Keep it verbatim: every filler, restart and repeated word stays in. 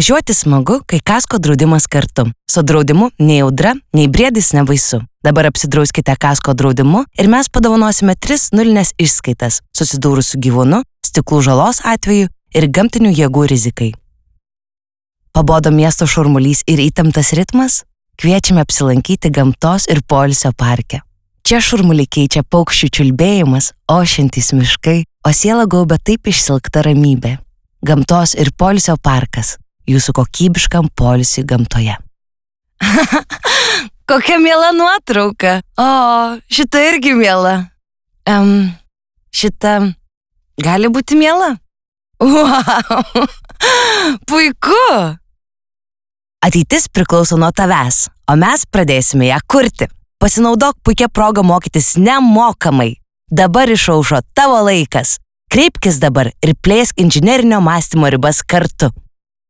Važiuoti smagu, kai kasko draudimas kartu. Su draudimu nei audra, nei briedis nebaisu. Dabar apsidrauskite kasko draudimu ir mes padovanosime tris nulinės išskaitas susidūrus su gyvūnu, stiklų žalos atveju ir gamtinių jėgų rizikai. Pabodo miesto šurmulys ir įtemptas ritmas? Kviečiame apsilankyti gamtos ir poilsio parke. Čia šurmulį keičia paukščių čiulbėjimas, ošiantys miškai, o sielą gaubia taip išsilkta ramybė. Gamtos ir poilsio parkas. Jūsų kokybiškam poilsiui gamtoje. Kokia miela nuotrauka. O, šita irgi miela. Um, šita gali būti miela. Wow, puiku. Ateitis priklauso nuo tavęs, o mes pradėsime ją kurti. Pasinaudok puikia proga mokytis nemokamai. Dabar išaušo tavo laikas. Kreipkis dabar ir plėsk inžinerinio mąstymo ribas kartu.